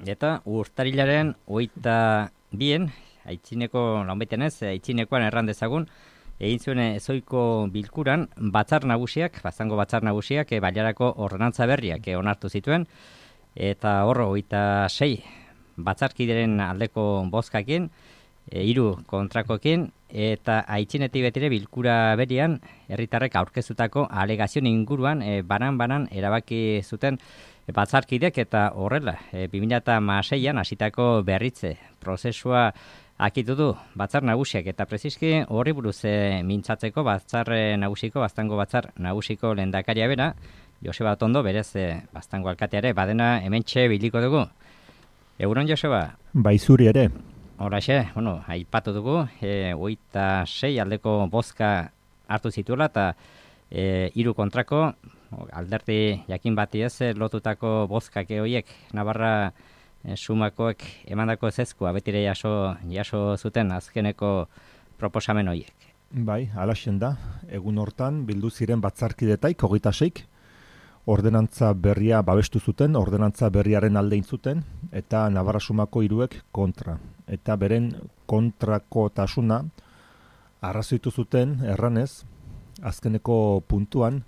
Eta urtarilaren 22, aitzineko, launbaitean ez, aitzinekoan erran dezagun, egin zuen ezoiko bilkuran batzar nagusiak, Baztango batzar nagusiak, baliarako ordenantza berriak onartu zituen, eta hor 26 batzarkideren aldeko bozkakin, 3 kontrakoekin, eta aitzinetik betire bilkura berian herritarrek aurkeztutako alegazioen inguruan banan erabaki zuten batzarkidek, eta horrela 2016an hasitako berritze prozesua akitu du batzar nagusiak, eta preziski horri buruz mintzatzeko batzar nagusiko, Baztango batzar nagusiko lehendakaria bera, Joseba Otondo, berez Baztango alkateare, badena hementxe biliko dugu. Egunon, Joseba? Bai, zuri ere. Horaxe, aipatu dugu, 26 aldeko bozka hartu zituela, eta 3 kontrako, alderdi jakin bati ez, lotutako bozkak horiek Navarra sumakoek emandako ezezkoa betire jaso zuten azkeneko proposamen horiek. Bai, alaxen da, egun hortan bildu ziren batzarkidetaik, 26, ordenantza berria babestu zuten, ordenantza berriaren alde zuten, eta Navarra sumako 3ek kontra. Eta beren kontrako tasuna arrazoitu zuten erranez, azkeneko puntuan,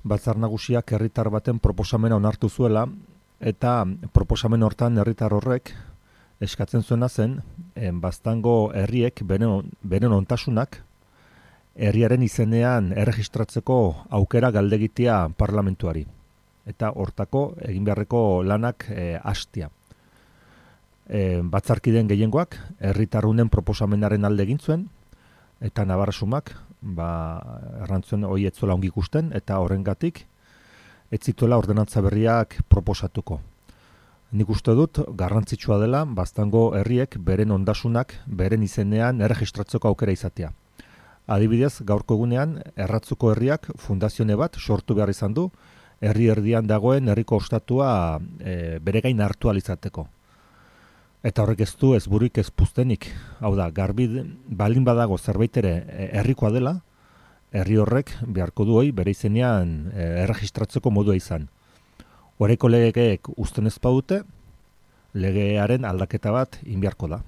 batzar nagusiak herritar baten proposamena onartu zuela, eta proposamen hortan herritar horrek eskatzen zuena zen, Baztango herriek beren ontasunak herriaren izenean erregistratzeko aukera galdegitea parlamentuari. Eta hortako egin beharreko lanak hastia. Batzarkideen gehiengoak herritarrunen proposamenaren alde egin zuen, eta Navarra sumak errantzuen hori ez zuela ongi ikusten, eta horrengatik ez zituela ordenantza berriak proposatuko. Nik uste dut garrantzitsua dela Baztango herriek beren ondasunak beren izenean erregistratzeko aukera izatea. Adibidez, gaurko egunean Erratzuko herriak fundazione bat sortu behar izan du, herri erdian dagoen herriko ostatua bere gain hartu alizateko. Eta horrek ez du ez burik ez puztenik. Hau da, garbi baldin badago zerbait ere herrikoa dela, herri horrek beharko du hori bere izenean erregistratzeko modua izan. Oraiko legeek uzten ez badute, legearen aldaketa bat inbiarko da.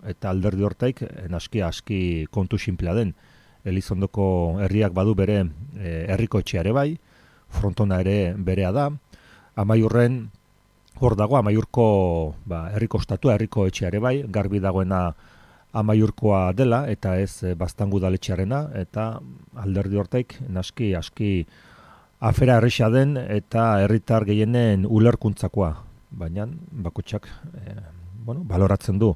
Eta alderdi hortaik aski kontu sinplea den. Elizondoko herriak badu bere herriko etxeare bai, Frontona ere berea da, Amaiurren hor dago, Amaiurko herriko ostatua, herriko etxeare bai, garbi dagoena Amaiurkoa dela, eta ez Baztango udaletxearena, eta alderdi hortaik aski afera erresa den eta herritar gehienen ulerkuntzakoa, baina bakotxak baloratzen du.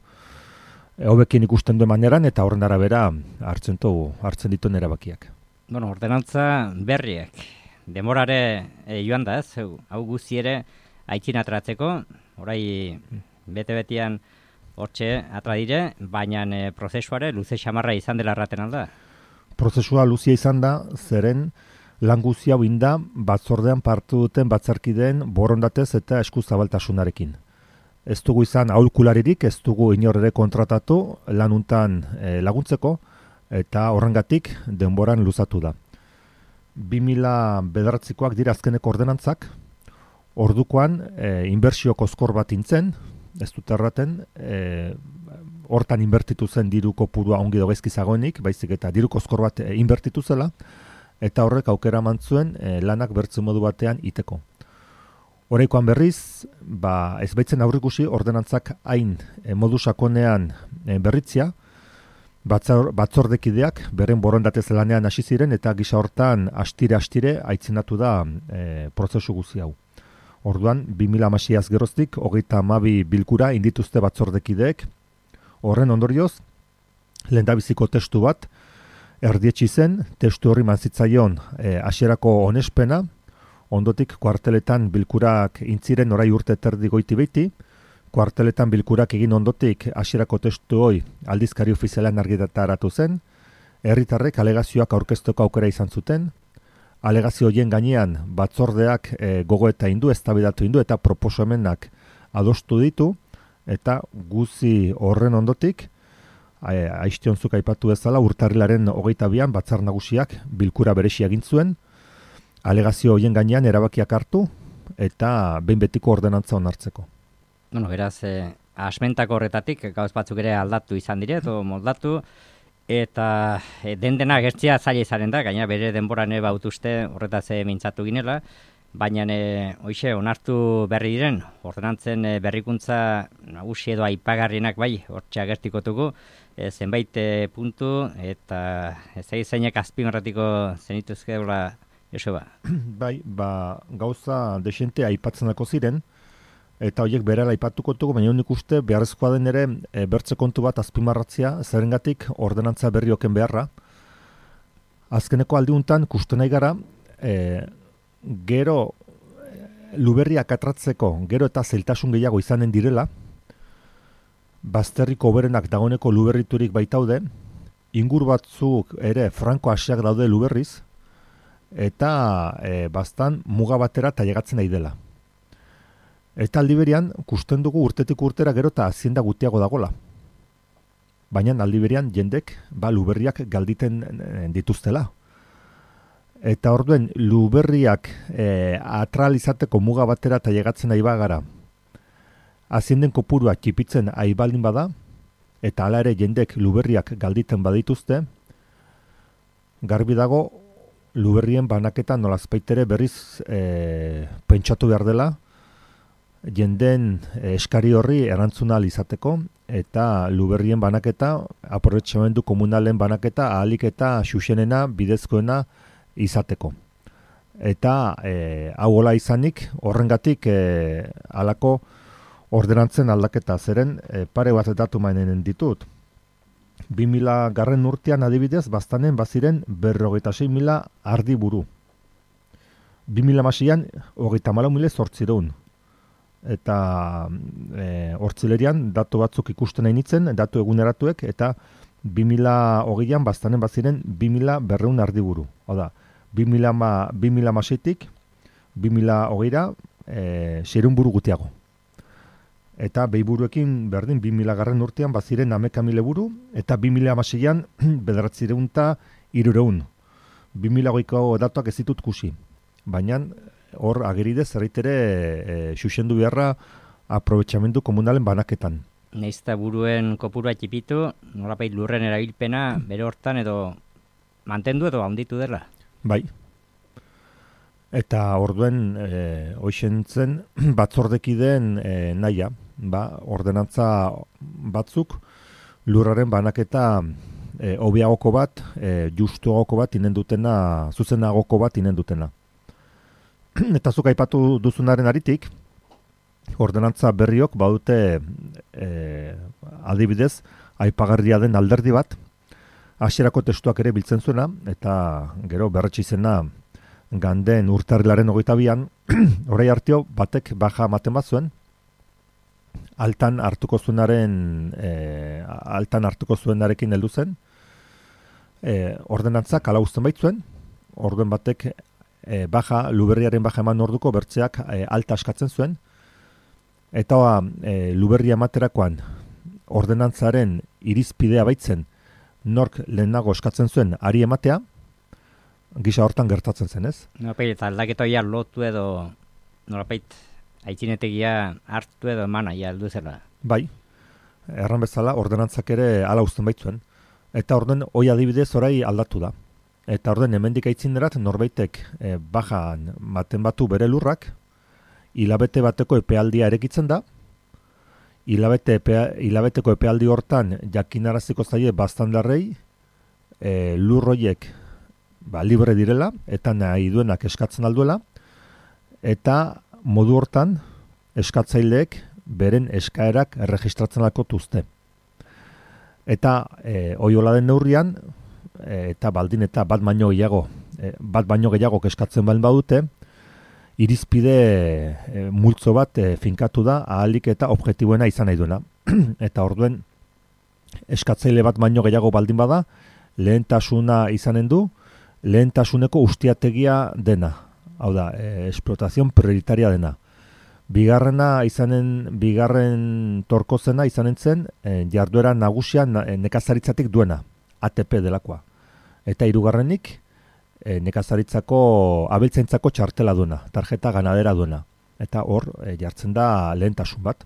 Hobekin ikusten duen maneran eta horren arabera hartzen dituen erabakiak. Ordenantza berriak, demorare joan da ez, hau guzti ere aitzin atratzeko, orai bete-betian hortxe atra dire, baina prozesuare luze xamarra izan dela erraten alda. Prozesua luzia izan da, zeren lan guzti hau inda batzordean partu duten batzarkideen borondatez eta eskuzabaltasunarekin. Ez dugu izan aholkularirik, ez dugu inor ere kontratatu lanuntan laguntzeko, eta horrengatik denboran luzatu da. 2009koak dira azkeneko ordenantzak, ordukoan inbertsio kozkor bat intzen, ez dut erraten, hortan inbertitu zen diru kopurua ongi dogaizki zagoenik, baizik eta diru kozkor bat inbertitu zela, eta horrek aukera eman lanak bertze modu batean iteko. Oraikoan berriz, ez baitzen aurrikusi ordenantzak hain modu sakonean berritzia, batzordekideak beren borondatez lanean hasi ziren eta gisa hortan astire aitzinatu da prozesu guzti hau. Orduan, 2016 geroztik, 32 bilkura indituzte batzordekideek, horren ondorioz, lehendabiziko testu bat, erdietsi zen, testu horri manzitzaion hasierako onespena, ondotik kuarteletan bilkurak intziren orai urte terdi goiti beiti, kuarteletan bilkurak egin ondotik hasierako testu hoi aldizkari ofizialean argitaratu zen, herritarrek alegazioak aurkezteko aukera izan zuten, alegazio horien gainean batzordeak gogoeta indu, eztabaidatu indu eta proposamenak adostu ditu, eta guzi horren ondotik, aiztionzuk aipatu bezala, urtarrilaren 22an batzar nagusiak bilkura beresi egin zuen, alegazio horien gainean erabakiak hartu eta behin betiko ordenantza onartzeko. Bueno, beraz, asmentako horretatik gauz batzuk ere aldatu izan dire, edo moldatu, eta dena gertzea zaila izaren da, gaina bere denboran bautuzte horretaz mintzatu ginela, baina hoxe onartu berri diren, ordenantzen berrikuntza nagusi edo aipagarrienak bai, hortxe agertikotugu, zenbait puntu, eta zeinek azpimarratiko zenituzkeula, Joseba. Bai, gauza desente aipatzenako ziren, eta horiek berela aipatuko dugu, baina nik uste beharrezkoa den ere bertze kontu bat azpimarratzea, zerengatik ordenantza berrioken beharra. Azkeneko aldiuntan kusten nahi gara, gero luberriak atratzeko, gero eta zeltasun gehiago izanen direla, bazterriko oberenak dagoeneko luberriturik baitaude, ingur batzuk ere franko hasiak daude luberriz, eta bastan muga batera tailegatzen nahi dela. Eta aldi berean, kusten dugu urtetik urtera gero eta hazienda gutiago dagola. Baina aldi berean jendek luberriak galditen dituztela. Eta orduen luberriak atralizateko muga batera tailegatzen nahi bagara, hazienden kopurua txipitzen aibaldin bada, eta hala ere jendek luberriak galditen badituzte, garbi dago luberrien banaketa nolazpaitere berriz pentsatu behar dela, jenden eskari horri erantzuna ahal izateko, eta luberrien banaketa, aprobetxamendu komunalen banaketa, ahalik eta xuxenena, bidezkoena izateko. Eta hau hola izanik, horrengatik halako ordenantzen aldaketa zeren pare bat datu mainen ditut. 2000 garren urtean adibidez, baztanen baziren 56.000 ardi buru. 2006an 34.800. Eta hortzilerian datu batzuk ikusten nahi nitzen, datu eguneratuek, eta 2020an baztanen baziren 2.200 ardi buru. Oda, 2006tik 2020ra 600 buru gutiago. Eta behiburuekin berdin 2000 garren urtean baziren 11.000 buru, eta 2006an 900 2008ko datuak ez ditut kusi. Baina hor ageride zerritere xuxendu beharra aprobetxamendu komunalen banaketan. Neizta buruen kopurua txipitu, nolapait lurren erabilpena bere hortan edo mantendu edo handitu dela. Bai. Eta orduen hoixentzen batzordekideen naia, ordenantza batzuk lurraren banaketa hobiagoko bat, justuagoko bat inen dutena, zuzenagoko bat inen dutena. Eta zuk aipatu duzunaren aritik, ordenantza berriok badute adibidez aipagarria den alderdi bat, hasierako testuak ere biltzen zuena, eta gero berretsi zena ganden urtarrilaren 22an, orai hartio batek baja ematen bat zuen, altan hartuko zuenarekin heldu zen, ordenantzak ala uzten baitzuen, orduen batek luberriaren baja eman orduko bertzeak alta askatzen zuen, eta luberria ematerakoan ordenantzaren irizpidea baitzen nork lehenago eskatzen zuen ari ematea, gisa hortan gertatzen zen, ez? Nolapait, eta aldaketoia lotu edo, nolapait, aitzinetegia hartu edo emana, heldu zela. Bai, erran bezala, ordenantzak ere ala uzten baitzuen. Eta orden, hoi adibidez orai aldatu da. Eta orden, hemendik aitzinerat, norbaitek bajan maten batu bere lurrak, hilabete bateko epealdia erekitzen da, hilabeteko epealdi hortan jakinaraziko zaie baztandarrei lurroiek libre direla, eta nahi duenak eskatzen alduela, eta modu hortan eskatzaileek beren eskaerak erregistratzen alkotuzte. Eta hola den neurrian, eta baldin eta bat baino gehiago eskatzen baldin badute, irizpide multzo bat finkatu da ahalik eta objektiboena izan nahi duena. Eta orduen eskatzaile bat baino gehiago baldin bada, lehentasuna izanen du, lehentasuneko ustiategia dena. Hau da, esplotazion prioritaria dena. Bigarren torkozena izanen zen jarduera nagusia nekazaritzatik duena, ATP delakoa. Eta hirugarrenik nekazaritzako abeltzaintzako txartela duena, tarjeta ganadera duena. Eta hor jartzen da lehentasun bat.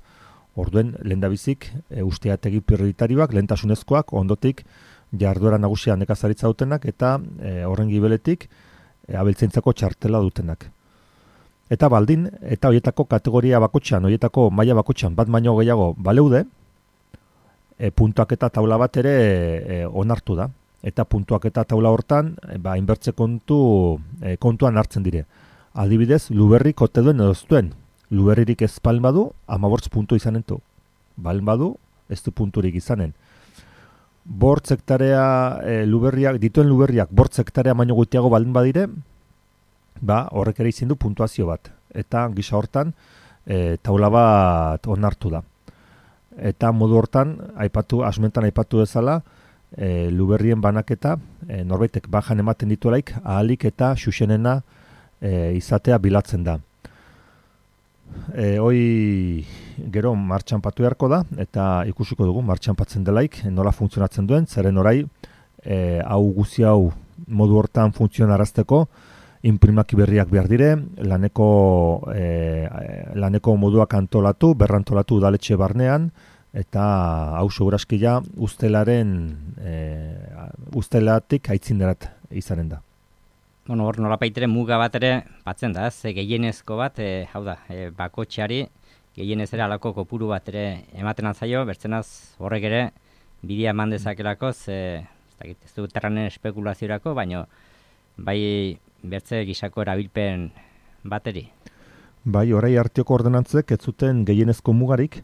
Orduen, lehendabizik, usteategi prioritarioak, lehentasunezkoak, ondotik, jarduera nagusia nekazaritza dutenak, eta horren gibeletik, abeltzaintzako txartela dutenak. Eta baldin, eta horietako kategoria bakotxan, horietako maila bakotxan, bat baino gehiago baleude, puntuak eta taula bat ere onartu da. Eta puntuak eta taula hortan, inbertze kontuan hartzen dire. Adibidez, Luberrik ote duen edo ez duen. Luberririk ez balen badu, 15 puntu izanen du. Balen badu, ez du punturik izanen. Bortz hektarea dituen Luberriak bortz hektarea baino gutiago baldin badire, horrek ere izin du puntuazio bat. Eta gisa hortan, taula bat onartu da. Eta modu hortan, asmentan aipatu bezala, Luberrien banaketa, norbaitek bajan ematen dituelaik, ahalik eta xuxenena izatea bilatzen da. Hoi gero martxan patu beharko da, eta ikusiko dugu martxan patzen delaik, nola funtzionatzen duen, zeren orai, hau guzi hau modu hortan funtzionarazteko, imprimaki berriak behar dire, laneko moduak antolatu, berrantolatu udaletxe barnean, eta hau segurazkia ustelatik aitzinderat izanen da. Bueno, hor nolapaitere muga bat ere batzen da, gehienezko bat, hau da, bakotxeari gehienez ere alako kopuru bat ere ematen altzaio, bertzenaz horrek ere bidea eman dezakelako, ez du terranen espekulaziorako, baino bai bertze gisako erabilpen bateri. Bai, orai arteoko ordenantzek ez zuten gehienezko mugarik,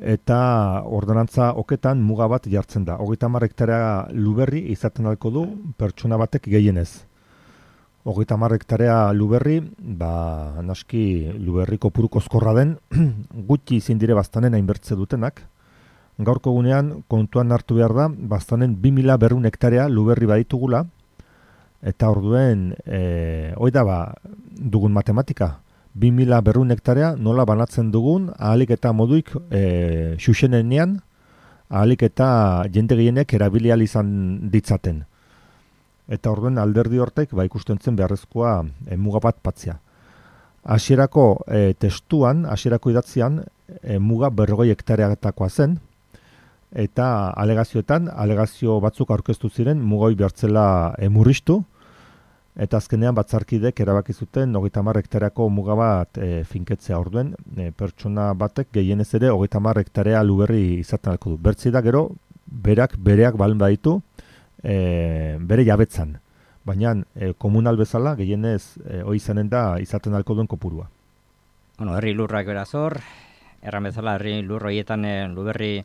eta ordenantza oketan muga bat jartzen da. 30 hektarea Luberri izaten alko du pertsona batek gehienez. 30 hektarea Luberri, naski Luberri kopuru koskorra den, gutxi izin dire baztanen hainbertze dutenak. Gaurko gunean kontuan hartu behar da, baztanen 2200 hektarea Luberri baditugula, eta orduen, hoi da dugun matematika. 2200 hektarea nola banatzen dugun, ahalik eta moduik xuxenenean, ahalik eta jende gehienek erabilial izan ditzaten. Eta orduen alderdi hortek ikusten zen beharrezkoa muga bat patzea. Hasierako testuan, hasierako idatzian, muga 40 hektareatakoa zen, eta alegazio batzuk aurkeztu ziren mugoi behartzela murriztu, eta azkenean batzarkidek erabaki zuten 30 hektareako muga bat finketzea. Orduen, pertsona batek gehienez ere 30 hektarea Luberri izaten alko du. Bertzi da gero, bereak balen baditu, bere jabetzan. Baina komunal bezala gehienez hori izanen da izaten alko duen kopurua. Bueno, herri lurrak beraz hor, erran bezala herri lur horietan Luberri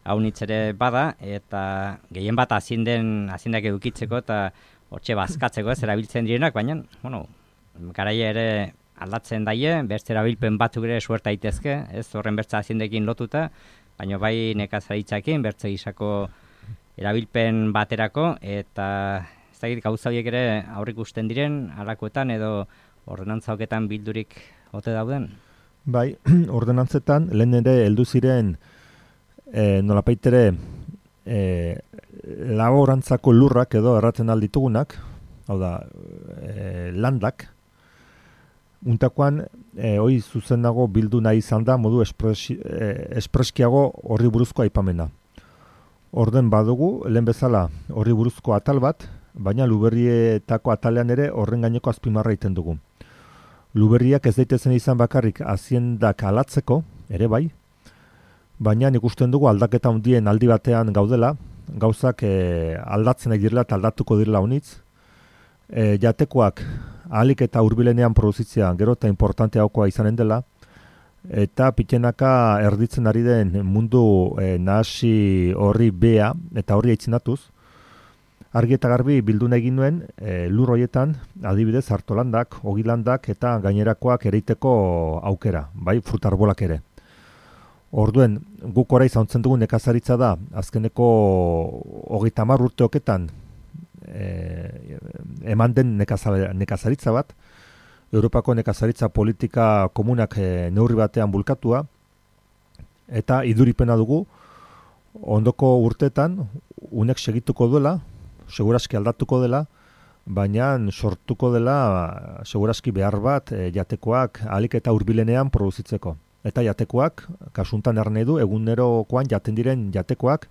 haunitz ere bada, eta gehien bat azindak edukitzeko eta hortxe bazkatzeko ez erabiltzen direnak, baina, garaia ere aldatzen daie, bertze erabilpen batzuk ere suerta daitezke, ez horren bertza azindekin lotuta, baina bai nekazaritzakin, bertze gisako erabilpen baterako, eta ez dakit gauza horiek ere aurrikusten diren, halakoetan edo ordenantzaoketan bildurik ote dauden? Bai, ordenantzetan lehen ere heldu ziren nolapaitere laborantzako lurrak edo erratzen alditugunak, hau da, landak, untakoan, hoi zuzen dago bildu nahi izan da, modu espreskiago horri buruzko aipamena. Orden badugu, lehen bezala horri buruzko atal bat, baina Luberrietako atalean ere horren gaineko azpimarra egiten dugu. Luberriak ez daitezen izan bakarrik haziendak alatzeko, ere bai, baina ikusten dugu aldaketa handien aldi batean gaudela, gauzak aldatzen direla eta aldatuko direla honitz. Jatekoak ahalik eta hurbilenean produzitzea gero eta importanteagoa izanen dela, eta pitenaka erditzen ari den mundu nahasi horri bea eta horri aitzinatuz, argi eta garbi bilduna egin nuen lur horietan adibidez hartolandak, ogilandak eta gainerakoak ereiteko aukera, bai frutarbolak ere. Orduen, guk orai zauntzen dugu nekazaritza da, azkeneko 30 urteoketan eman den nekazaritza bat, Europako nekazaritza politika komunak neurri batean bulkatua, eta iduripena dugu, ondoko urteetan, unek segituko duela, segurazki aldatuko dela, baina sortuko dela segurazki behar bat jatekoak ahalik eta hurbilenean produzitzeko. eta jatekoak, kasuntan erne du, egunerokoan jaten diren jatekoak,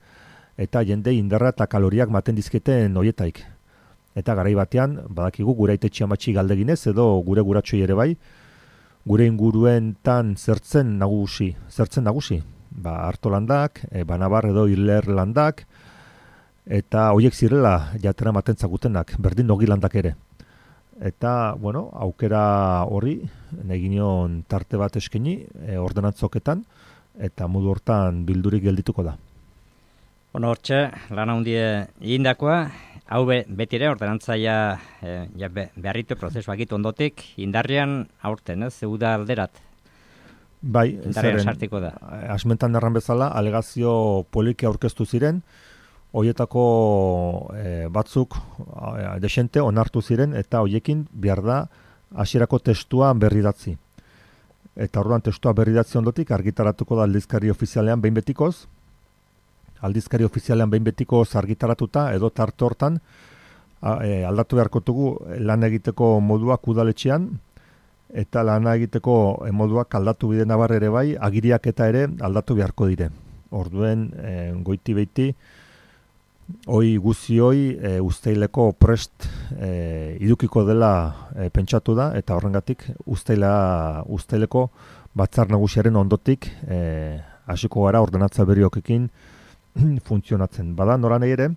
eta jende indarra eta kaloriak maten dizketen hoietaik. Eta garai batean, badakigu gure aitetxe amatxi galdeginez, edo gure guratxoi ere bai, gure inguruentan zertzen nagusi. Artolandak, Banabar edo Irlerlandak, eta hoiek zirela jatera maten zagutenak, berdin nogilandak ere. Eta, aukera horri, neginion tarte bat eskeni, ordenantzoketan, eta modu hortan bildurik geldituko da. Hortxe, lan handie egindakoa, hau beti ere ordenantzaia beharritu prozesuak ondotik, indarrian aurten, uda alderat. Bai, indarrian sartiko da. Asmentan erran bezala, alegazio poliki aurkeztu ziren, hoietako batzuk desente onartu ziren, eta hoiekin behar da hasierako testua berridatzi. Eta orduan testua berridatzi ondotik argitaratuko da aldizkari ofizialean behin betikoz, argitaratuta edo tarte hortan aldatu beharko dugu lan egiteko moduak udaletxean, eta lana egiteko moduak aldatu bide nabar ere bai, agiriak eta ere aldatu beharko dire. Orduen goiti beiti, hoi usteileko prest idukiko dela pentsatu da, eta horrengatik usteileko batzar nagusiaren ondotik hasiko gara ordenatza berriokekin funtzionatzen. Bada, noran ere,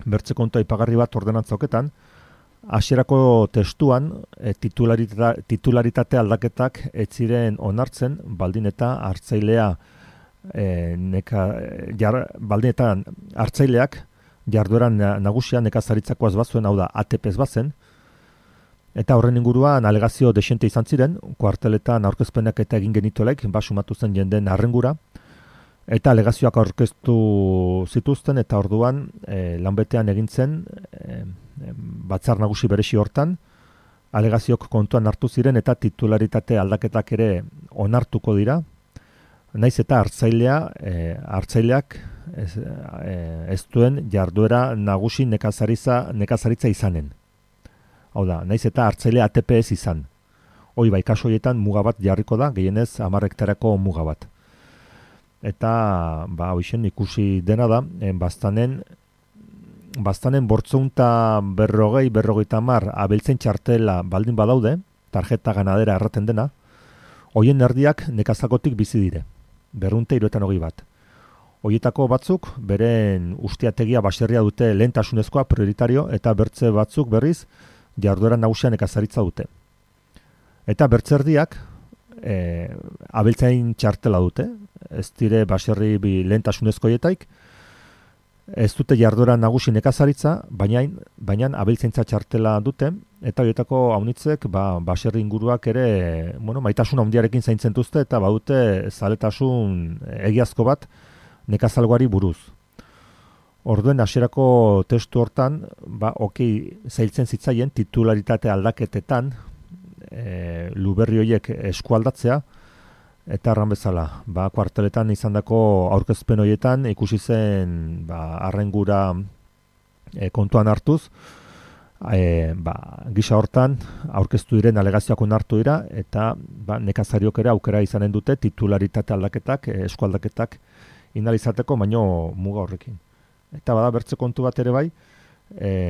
bertze kontu aipagarri bat ordenantzoketan, hasierako testuan titularitate aldaketak ez ziren onartzen, baldin eta hartzailea baldin eta hartzaileak jardueran nagusia nekazaritzakoaz bazuen, hau da ATPz bazen, eta horren inguruan alegazio desente izan ziren, kuarteletan aurkezpenak eta egin genituelek, sumatu zen jenden arrengura, eta alegazioak aurkeztu zituzten, eta orduan lanbetean egin zen batzar nagusi beresi hortan, alegaziok kontuan hartu ziren eta titularitate aldaketak ere onartuko dira, naiz eta hartzaileak ez duen jarduera nagusi nekazaritza izanen. Hau da, naiz eta hartzailea ATP ez izan. Hoi bai, kasu horietan muga bat jarriko da, gehienez 10 hektareko muga bat. Eta, hoixen ikusi dena da, baztanen bortzeunta berrogeita mar abeltzen txartela baldin badaude, tarjeta ganadera erraten dena, hoien erdiak nekazakotik bizi dire, 271 bat. Hoietako batzuk, beren ustiategia baserria dute lehentasunezkoa prioritario, eta bertze batzuk berriz jarduera nagusia nekazaritza dute. Eta bertze erdiak abeltzain txartela dute, ez dire baserri lehentasunezko hoietaik, ez dute jarduera nagusi nekazaritza, baina abeltzaintza txartela dute, eta horietako haunitzek baserri inguruak ere maitasun handiarekin zaintzen duzte, eta badute zaletasun egiazko bat nekazalgoari buruz. Orduen hasierako testu hortan, zailtzen zitzaien titularitate aldaketetan luberri horiek eskualdatzea, eta erran bezala, kuarteletan izandako aurkezpen horietan ikusi zen arrengura kontuan hartuz, gisa hortan aurkeztu diren alegazioak onartu dira, eta nekazariok ere aukera izanen dute titularitate aldaketak, eskualdaketak inalizateko, baino muga horrekin. Eta bada bertze kontu bat ere bai,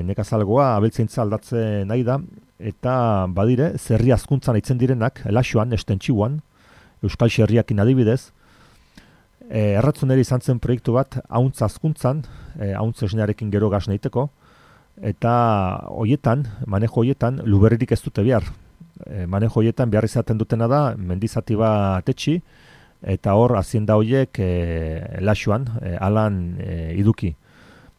nekazalgoa abeltzaintza aldatzen nahi da, eta badire, zerri azkuntzan aitzen direnak, laxoan, estentxiuan, Euskal Xerriakin adibidez, erratzuneri izan zen proiektu bat, hauntz azkuntzan, hauntz esnearekin gero gaz nahiteko, eta manejo hoietan, luberririk ez dute behar. Manejo hoietan behar izaten dutena da, mendizati bat etxi, eta hor hazienda hoiek laxoan, alan iduki.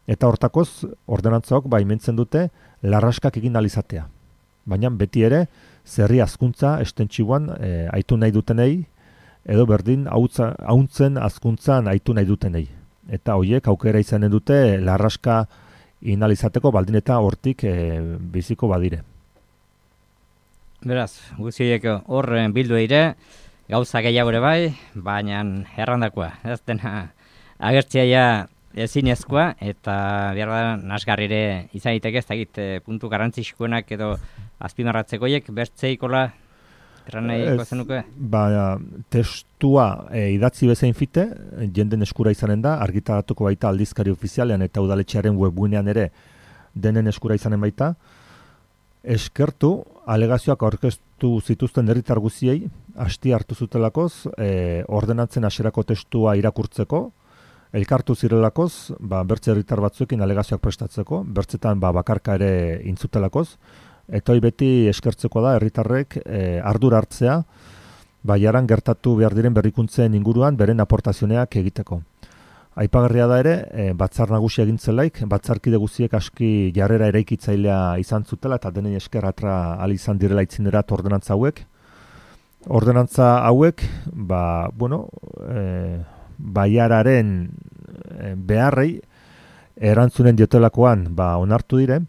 Eta hortakoz, ordenantzaok baimentzen dute, larraskak egin alizatea. Baina beti ere, zerri azkuntza estentxiuan aitu nahi dutenei, edo berdin hauntzen azkuntzan aitu nahi dutenei. Eta hoiek aukera izanen dute larraska inalizateko baldin eta hortik biziko badire. Beraz, guztiek horren bildu eire, gauza gehiago ere bai, baina errandakoa. Ez dena agertziaia ezinezkoa, eta behar da nasgarrire izan diteke, ez dakit puntu garrantzizkoenak edo azpimarratzekoiek bertzeikola. Erran nahiko zenuke? Testua idatzi bezain fite, jenden eskura izanen da, argitaratuko baita aldizkari ofizialean eta udaletxearen webgunean ere denen eskura izanen baita. Eskertu, alegazioak aurkeztu zituzten herritar guziei, hasti hartu zutelakoz, ordenatzen hasierako testua irakurtzeko, elkartu zirelakoz, bertze herritar batzuekin alegazioak prestatzeko, bertzetan bakarka ere intzutelakoz, eta hori beti eskertzeko da herritarrek ardura hartzea, jaran gertatu behar diren berrikuntzen inguruan beren aportazioneak egiteko. Aipagarria da ere, batzar nagusi egintzelaik, batzarkide guziek aski jarrera eraikitzailea izan zutela, eta denei esker atra ali izan direla itzinerat ordenantza hauek. Ordenantza hauek, baiararen beharrei erantzunen diotelakoan onartu dire,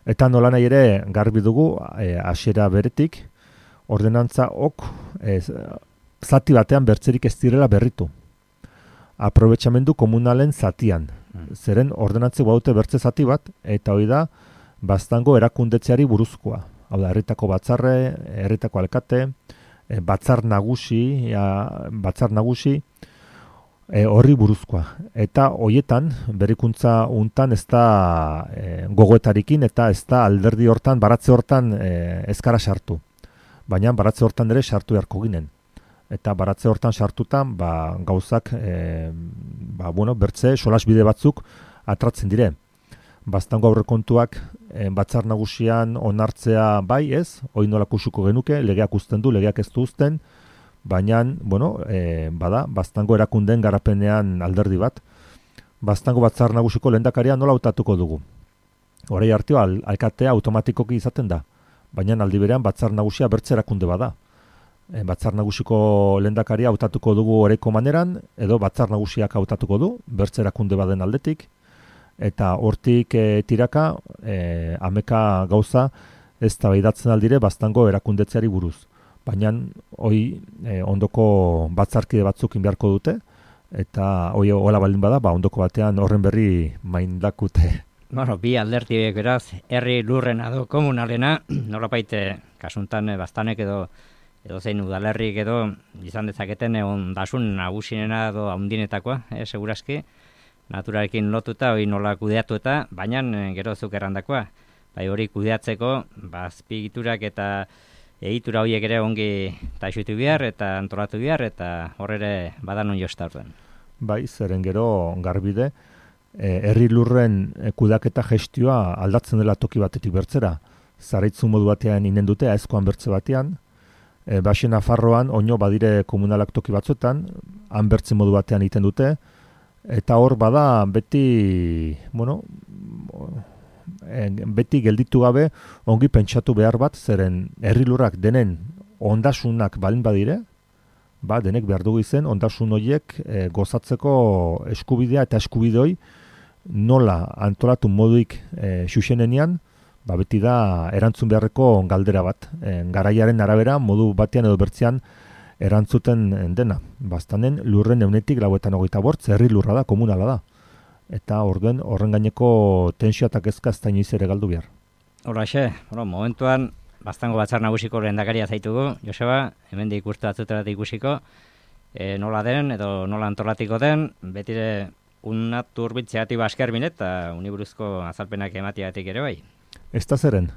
eta nola nahi ere garbi dugu hasiera beretik, ordenantza zati batean bertzerik ez direla berritu. Aprobetxamendu komunalen zatian. Zeren ordenantze baute bertze zati bat, eta hori da baztango erakundetzeari buruzkoa. Hau da, herritako batzarre, herritako alkate, batzar nagusi, horri buruzkoa. Eta hoietan, berrikuntza untan ez da gogoetarikin eta ez da alderdi hortan, baratze hortan ezkara sartu. Baina baratze hortan ere sartu beharko ginen. Eta baratze hortan sartutan, gauzak, bertze, solasbide batzuk atratzen dire. Baztango aurrekontuak batzar nagusian onartzea bai ez, hori nolak usuko genuke, legeak uzten du, legeak ez du uzten, baina, baztango erakunden garapenean alderdi bat. Baztango batzar nagusiko lehendakaria nola hautatuko dugu. Horai arteo, alkatea automatikoki izaten da, baina aldi berean batzar nagusia bertze erakunde bada. Batzar nagusiko lehendakaria hautatuko dugu oreko maneran, edo batzar nagusiak hautatuko du, bertze erakunde baden aldetik, eta hortik tiraka, ameka gauza ez da behidatzen aldire baztango erakundetzeari buruz. Baina hoi ondoko batzarkide batzukin beharko dute, eta hoi hola baldin bada, ondoko batean horren berri maindakute. Bi aldertiek beraz, herri lurrena edo komunalena, nolapaite kasuntan baztanek edo zein udalerrik edo izan dezaketen ondasun nagusinena edo handinetakoa, segurazki, naturarekin lotuta, hori nola kudeatu eta, baina gero zuk errandakoa. Hori kudeatzeko, azpigiturak eta egitura horiek ere ongi taixutu behar eta antolatu behar, eta horre badan on josta orduen. Zeren gero garbide, herri lurren kudeaketa gestioa aldatzen dela toki batetik bertzera. Zaraitzu modu batean inen dute, aezkoan bertze batean, Baxen Nafarroan oino badire komunalak toki batzuetan, han bertze modu batean egiten dute, eta hor bada beti, beti gelditu gabe ongi pentsatu behar bat, zeren herri lurrak denen ondasunak balin badire, denek behar dugu izen, ondasun horiek gozatzeko eskubidea eta eskubidoi nola antolatu moduik xuxenean, beti da erantzun beharreko galdera bat. Garaiaren arabera, modu batean edo bertzean erantzuten dena. Baztanen lurren 125, herri lurra da, komunala da. Eta horren gaineko tensio eta kezka ez da inoiz ere galdu behar. Horraxe, momentuan, baztango batzar nagusiko lehendakaria zaitugu, Joseba, hemen ikustu batzutera ikusiko, nola den edo nola antolatiko den, betire unat urbitzeatik basker binet, eta uniburuzko azalpenak ematiatik ere bai. Ez da zeren.